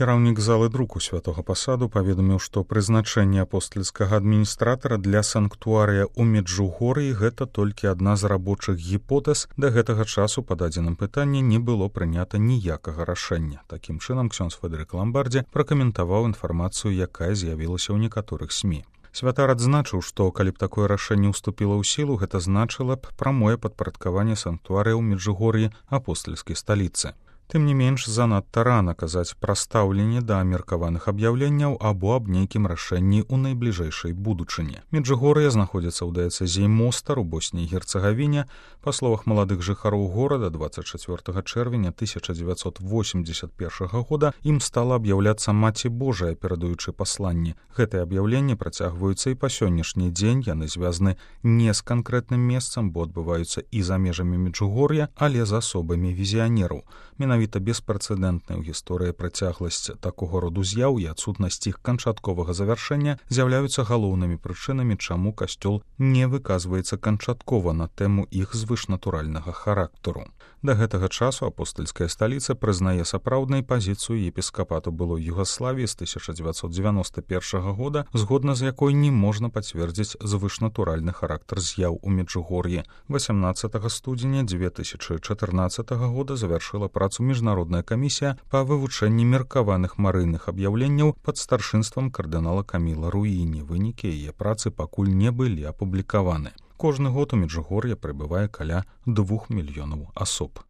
Кіраўнік залы друку святога пасаду паведаміў, што прызначэнне апостальскага адміністратара для санктуарыя ў Меджугор'і гэта толькі адна з рабочых гіпотэз. Да гэтага часу па дадзеным пытанні не было прынята ніякага рашэння. Такім чынам, ксёндз Фэдэрык Ламбардзі пракаментаваў інфармацыю, якая з'явілася ў некаторых СМІ. Святар адзначыў, што калі б такое рашэнне ўступіла ў сілу, гэта значыла б прамое падпарадкаванне санктуарыя ў Меджугор'і апостальскай сталіцы. Тым не менш, занадта рана казаць пра стаўленне да меркаваных аб'яўленняў або аб нейкім рашэнні ў найбліжэйшай будучыні. Меджугор'е знаходзіцца ў дыяцэзіі Мостар у Босній і Герцагавіне. Па словах маладых жыхароў горада, 24 чэрвеня 1981 года ім стала аб'яўляцца Маці Божая, перадаючы пасланні. Гэтыя аб'яўленні працягваюцца і па сённяшні дзень. Яны звязаны не з канкрэтным месцам, бо адбываюцца і за межамі Меджугор'я, але з асобамі візіянераў. Менавіта беспрэцэдэнтная ў гісторыі працягласць такога роду з'яў і адсутнасць іх канчатковага завяршэння з'яўляюцца галоўнымі прычынамі, чаму касцёл не выказваецца канчаткова на тэму іх звышнатуральнага характару. Да гэтага часу апостальская сталіца прызнае сапраўднай пазіцыю епіскапату былой Югаславіі з 1991 года, згодна з якой не можна пацвердзіць звышнатуральны характар з'яў у Меджугор'і. 18 студзеня 2014 года завяршыла працу міжнародная камісія па вывучэнні меркаваных марыйных аб'яўленняў пад старшынствам кардынала Каміла Руіні. Вынікі яе працы пакуль не былі апублікаваны. Кожны год у Меджугор'е прыбывае каля 2 мільёнаў асоб.